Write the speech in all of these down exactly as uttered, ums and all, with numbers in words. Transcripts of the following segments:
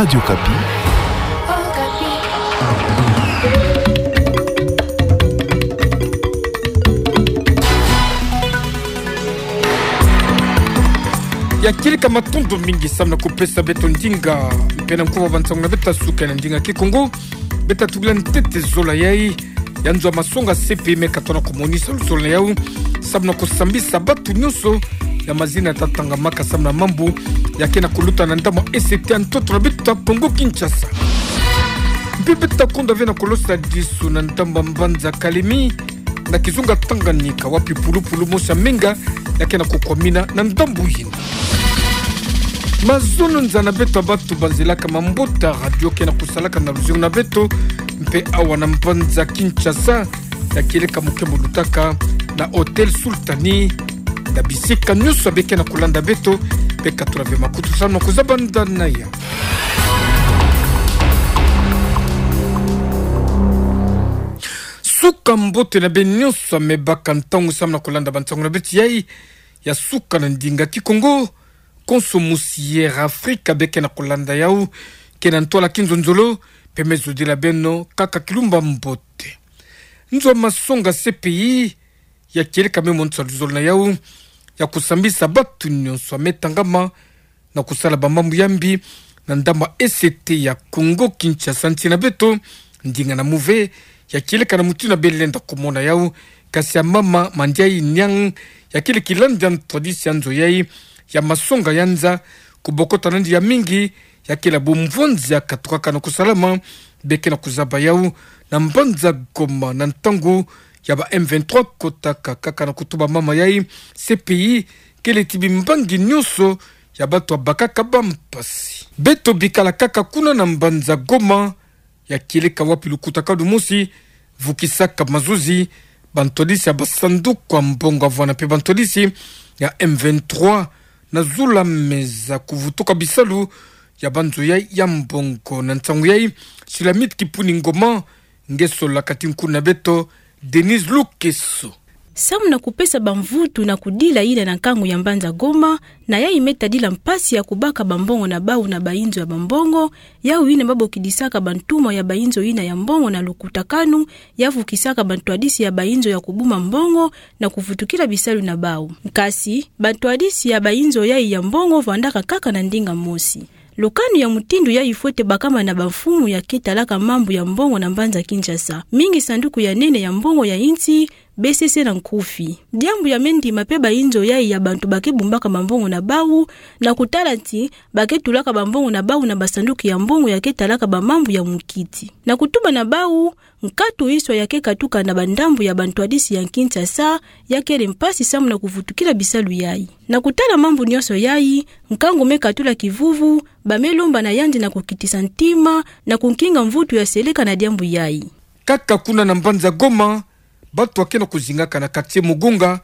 Radio Okapi. Ya kieleka matondo mingi samu na kupesa beto ndinga, mpe na nkuwa bansango na beto ya suka na ndinga Kikongo. Beto tukila ntete zola yai ya nzo ya masonga C P I me katola kumonisa luzolo na yau samu na kusambisa bantu nyonso ya mazina tatangamaka samu na mambu ya ke na kuluta na ndambu ya E C T ya ntoto na beto ya Kongo Kinshasa. Mpe beto konda ve na kulosa disu na ndambu ya mbanza Kalemi, na kizunga Tanganyika, wapi pulupulu mosi ya menga ya ke na kukwamina na ndambu yina. Mazono nza na beto ya bantu banzelaka mambote ya radio ke na kusalaka na luzingu na beto, mpe awa na mbanza Kinshasa, ya kieleka moke molutaka na Hôtel Sultani, na bisika nyonso ya be ke na kulanda beto, be katula ve makutu samu na kuzaba ndana ya. Suka mbote na beno nyonso ya me baka ntangu samu na kulanda bansango na beto yai ya suka na ndinga Kikongo. Konso mosi Air Afrique be ke na kulanda yau ke na ntwala kinzonzolo, mpe me zodila beno kaka kilumbu ya mbote. Nzo ya masonga C P I ya kieleka me monisa luzolo na yau ya kusambisa bantu nyonso ya me tangama na kusala bamambu ya mbi na ndambu ya E C T ya Kongo Kinshasa, nsi na beto. Ndinga na muve ya kieleka na mutindu ya be lenda kumona yau, kasi ya mama Mandiayi Niang, ya kieleka landi ya ntwadisi ya nzo yai ya masonga ya nza, kubokota nandi ya mingi ya kele bumvonzi ya katukaka na kusalama, be ke na kuzaba yau na mbanza Goma, na ntangu ya ba M vingt-trois kotaka kaka na kutuba mama yai, C P I kele ti bimbangi nyonso ya bantu ya bakaka bampasi. Beto bikala kaka kuna na mbanza Goma, ya kieleka wapi lukutakanu mosi vukisaka mazozi bantwadisi ya basanduku ya mbongo, avwanda mpe bantwadisi ya M vingt-trois na zula meza kuvutuka bisalu ya banzo yai ya mbongo. Na nsangu yai, Sulamite Kipuni Ngoma, nge sola kati nkuna beto, Denise Lukeso. Samu na kupesa bamvutu na kudila yina na nkangu ya mbanza Goma, na yai me tadila mpasi ya kubaka bambongo na bau na bainzo ya bambongo, yau yina babokidisaka bantumwa ya bainzo yina ya mbongo na lukutakanu ya vukisaka bantwadisi ya bainzo ya kubuma mbongo na kuvutukila bisalu na bau. Kasi, bantwadisi ya bainzo yai ya mbongo vandaka kaka na ndinga mosi. Lukanu ya mutindu yai fwete bakama na bamfumu ya ke talaka mambu ya mbongo na mbanza Kinshasa. Mingi sanduku ya nene ya mbongo ya insi, B C C na nkufi. Diambu ya me ndima mpe bainzo yai ya bantu ba ke bumbaka bambongo na bau, na kutala ti ba ke tulaka bambongo na bau na basanduku ya mbongo ya ke talaka bamambu ya mukiti. Na kutuba na bau, nkatu iswa ya ke katuka na bandambu ya bantwadisi ya Kinshasa, ya kele mpasi samu na kuvutukila bisalu yai. Na kutala mambu nyonso yai, nkangu me katula kivuvu, ba me lomba na yandi na kukitisa ntima, na kunkinga mvutu ya seleka na diambu yai. Kaka kuna na mbanza Goma, bantu ya ke na kuzingaka na quartier Mugunga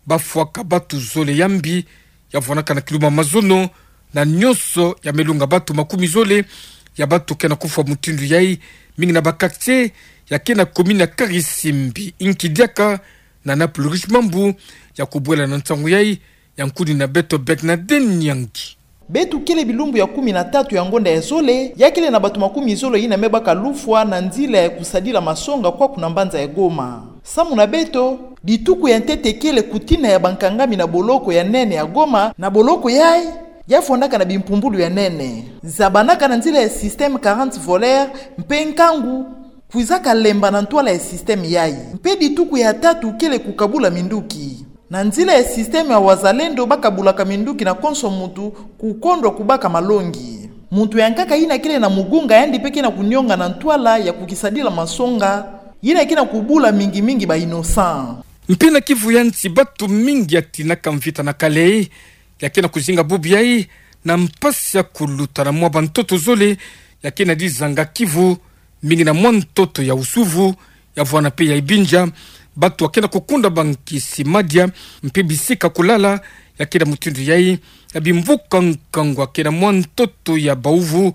bafwaka bantu zole ya mbi, ya vwanaka na kilumbu ya mazono, na nyonso ya me longa bantu makumi zole ya bantu ke na kufwa mutindu yai, mingi na ba quartier ya ke na commune ya Karisimbi. Inki diaka na Naples Riche Mambu ya kubwela na nsangu yai, ya nkuni na beto Bernadette Nyangi. Beto kele bilumbu ya kumi na tatu ya ngonda ya zole, ya kele na bantu makumi zole yina me baka lufwa na nzila ya kusadila masonga kwaku na mbanza ya Goma. Samu na beto, dituku ya ntete kele kutina ya bankangami na boloko ya nene ya Goma, na boloko yai, ya fondaka na bimpumbulu ya nene. Zabanaka na nzila ya système quarante voleurs, mpe nkangu kwizaka lemba na ntwala ya système yai. Mpe dituku ya tatu kele kukabula minduki. Na nzila ya système ya wazalendo bakabulaka minduki na konso muntu kukondwa kubaka malongi. Muntu ya nkaka yina kele na Mugunga yandi mpe ke na kunionga na ntwala ya kukisadila masonga, yina ke na kubula mingi mingi ba innocents. Mpe na Kivu ya nsi bantu mingi ya tinaka mvita na Kalehe, ya ke na kuzinga bubu yai, na mpasi ya kuluta na mwa bantoto zole ya ke na dizanga Kivu, mingi na mwa ntoto ya Usuvu, ya vwana mpe ya Ibinja, bantu ya ke na kukunda bankisi, madia, mpe bisika kulala, ya ke na mutindu yai, ya bimvuka nkangu ya ke na mwa ntoto ya Bauvu,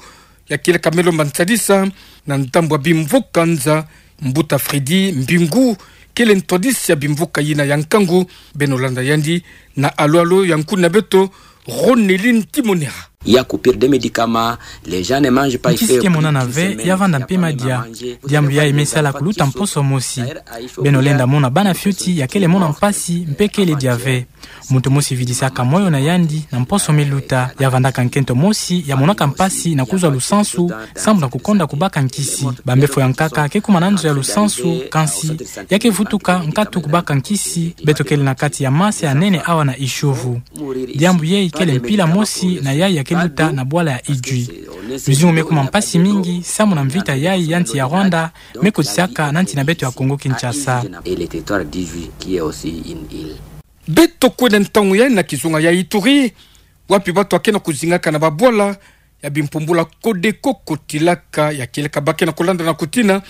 ya kieleka me lomba nsadisa na ndambu ya bimvuka nza. Mbuta Freddy Mbingu kele ntwadisi ya bimvuka yina ya nkangu, beno landa yandi na alo-alo ya nkuni na beto, Ronelin Timonera. Il y a coupure des médicaments, les gens ne mangent pas. Nkisi ke monana ve, ya vanda mpe madia. Diambu yayi me sala kuluta mposo mosi. Beno lenda mona bana fioti ya kele mona mpasi mpe kele dia ve. Muntu mosi vidisaka moyo na yandi na mposo me luta, ya vandaka nkento mosi ya monaka mpasi na kuzwa lusansu, sambu na kukonda kubaka nkisi. Bambefo ya nkaka ke kuma na nzo ya lusansu, kansi ya ke vutuka nkatu kubaka nkisi, beto kele na kati ya masa ya nene awa na Itsiouvou. Diambu yeyi kele mpila mosi na yayi ya ke luta na bwala ya Idjwi. Luzingu me kuma mpasi mingi, sambu na mvita yayi ya nsi ya Rwanda me kotisaka na nsi na beto ya Congo Kinshasa. Et le territoire d'Idjwi qui est aussi une île. Beto kwenda ntangu yayi na kizunga ya Ituri, wapi batu ya ke na kuzingaka na babwala ya bimpumbulu ya Codeco kotilaka, ya kieleka ba ke na kulanda na kutina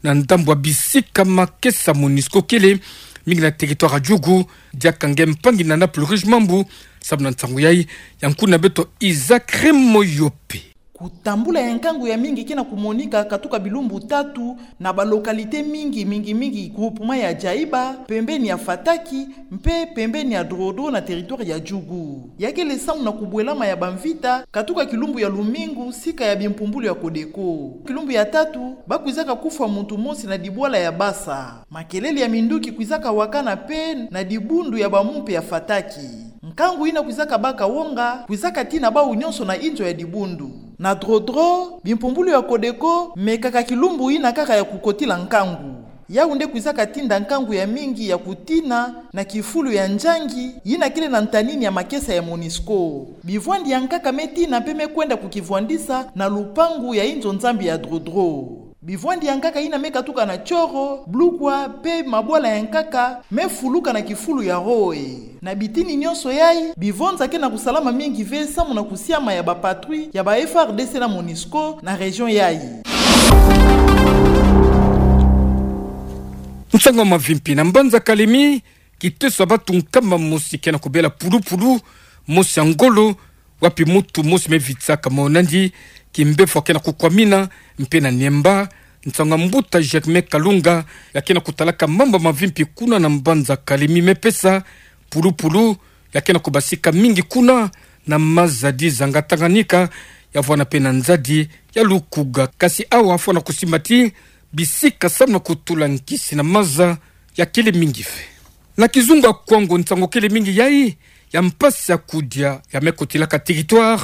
na ndambu ya bisika makesa MONUSCO kele, mingi na territoire ya Djugu. Diaka nge mpangi na Naples Rouge Mambu, sambu na nsangu yayi, ya nkuna beto Isaac Remoyope. Kutambula ya nkangu ya mingi ke na kumonika katuka bilumbu tatu na ba localité mingi, mingi mingi groupement ya Djaïba, pembeni ya Fataki, mpe pembeni ya Drodro na territoire ya Djugu. Ya kele sambu na kubwelama ya bamvita katuka kilumbu ya lumingu sika ya bimpumbulu ya Codeco. Kilumbu ya tatu, ba kwizaka kufwa muntu mosi na dibwala ya Bassa. Makelele ya minduki kwizaka wakana mpe na dibundu ya bamumpe ya Fataki. Nkangu yina kwizaka baka wonga kwizaka tina bawu nyonso na inzo ya dibundu. Na Drodro, bimpumbulu ya Codeco mekaka kilumbu yina kaka ya kukotila nkangu. Yawu nde kwizaka tinda nkangu ya mingi ya kutina na kifulu ya Njangi, yina kele na ntanini ya makesa ya MONUSCO. Bivwandi ya nkaka me tina mpe me kwenda kukivwandisa na lupangu ya inzo Nzambi ya Drodro. Bivwandi ya nkaka yina me katuka na Tsoro, Blukwa, mpe mabwala ya nkaka me fuluka na kifulu ya Roe. Na bitini nyonso yayi, bivonza ke na kusalama mingi ve sambu na kusiama ya ba patrouille ya ba F A R D C na MONUSCO na région yayi. Nsangu ya mavimpi na mbanza Kalemi, kiteso ya batu nkama mosi ke na kubela pulupulu, mosi ya ngolo, wapi muntu mosi me vitisaka moyo na yandi, kimbefo ya ke na kukwamina, mpe na Niemba, nsangu ya mbuta Germain Kalunga, ya ke na kutalaka mambu ya mavimpi kuna na mbanza Kalemi me pesa, pulupulu ya ke na kubasika mingi kuna na maza di zanga Tanganyika, ya vwanda mpe na nzadi ya Lukuga. Kasi awa fwana kusimba ti bisika sambu na kutula nkisi na maza ya kele mingi ve. Na kizunga Kwango, nsangu kele mingi yayi ya mpasi ya kudia ya me kotilaka territoire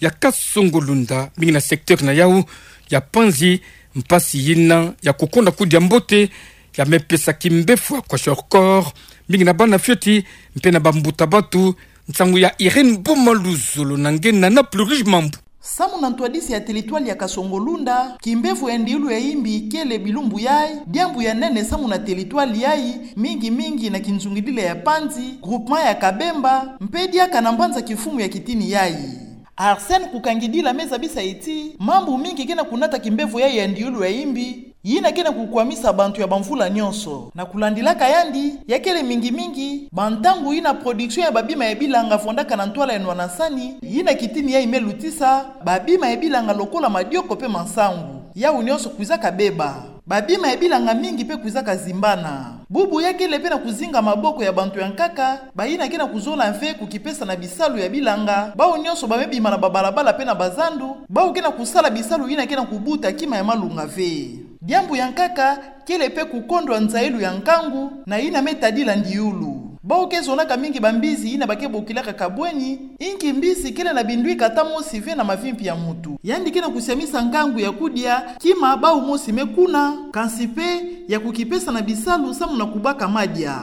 ya Kasongo-Lunda, mingi na secteur na yawu ya Panzi, mpasi yina ya kukonda kudia mbote ya me pesa kimbefo ya kwashiorkor, mingi na bana fioti mpe na bambuta batu. Nsangu ya Irène Boma Luzolo na nge na Naples Rouge Mambu. Sambu na ntwadisi ya territoire ya Kasongo-Lunda, kimbefo ya ndiulu ya imbi kele bilumbu yayi diambu ya nene sambu na territoire yayi, mingi mingi na kinzungidila ya Panzi, groupement ya Kabemba, mpe diaka na mbanza kimfumu ya kitini yayi. Arsène Kukangidila me zabisa ti mambu mingi ke na kunata kimbefo yayi ya ndiulu ya imbi, yina ke na kukwamisa bantu ya bamvula nyonso. Na kulandilaka yandi, ya kele mingi mingi bantangu yina production ya babima ya bilanga vwandaka na ntwala ya nwanasani, yina kitini yayi me lutisa babima ya bilanga lokola madioko mpe masangu. Yawu nyonso kwizaka beba. Babima ya bilanga mingi mpe kwizaka zimbana. Bubu ya kele mpe na kuzinga maboko ya bantu ya nkaka, bayina ke na kuzola mve kukipesa na bisalu ya bilanga, bawu nyonso ba me bima na babalabala mpe na bazandu, bawu ke na kusala bisalu yina ke na kubuta kima ya malunga ve. Diambu ya nkaka kele mpe kukondwa nzailu ya nkangu na yina me tadila ndiulu. Bawu ke zonaka mingi bambizi yina ba ke bokilaka kabweni, inki mbizi kele na bindwika ata mosi ve na mavimpi ya muntu. Yandi ke na kusiamisa nkangu ya kudia kima bawu mosi me kuna, kansi mpe ya kukipesa na bisalu sambu na kubaka madia.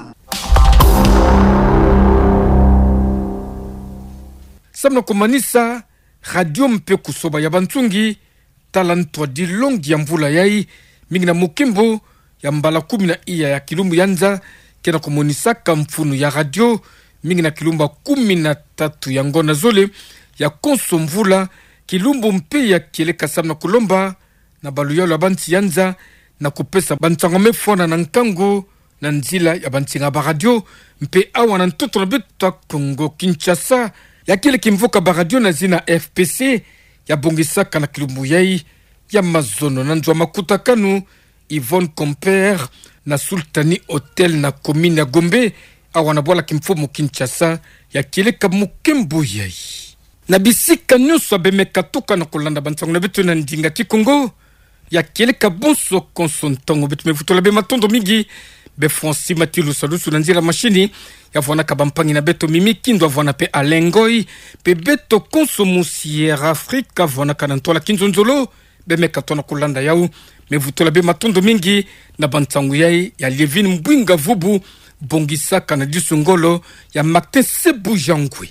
Sambu na kumanisa, radio mpe kusoba ya bansungi, tala ntwadi longi ya mvula yayi, mingi na mukimbu ya mbala kumi na iya ya kilumbu ya nza, ke na kumonisaka mfunu ya radio, mingi na kilumbu ya kumi na tatu ya ngonda zole ya konso mvula, kilumbu mpe ya kieleka sambu na kulomba na baluyalu ya bansi ya nza na kupesa bansango me fwana na nkangu na nzila ya bansinga ba radio, mpe awa na ntoto na beto ya Kongo Kinshasa, ya kele kimvuka ba radio na zina F P C, ya bongisaka na kilumbu yayi ya mazono na nzo ya makutakanu Yvonne Compère na Sultani Hotel na commune ya Gombe, awa na bwala kimfumu Kinshasa, ya kieleka mukimbu yayi. Na bisika nyonso bemeka tukana kolanda bansangu na beto na ndinga Kikongo ya Kieleka. Bonso konso ntangu beto, me vutula bie matondo mingi. Bie Francis Matilu Salusu na nzila mashini, ya vwanaka bampangi na beto Mimi Kindu, ya vwanaka pe Alain Ngoy, pe beto konso mu Sierra Africa, ya vwanaka na ntwala kinzonzolo, bemeka tona kolanda yau. Me vutula bie matondo mingi na bansangu yai ya Lievine Mbwinga Vubu, bongisaka na disu ngolo ya Martin Sebujangwe.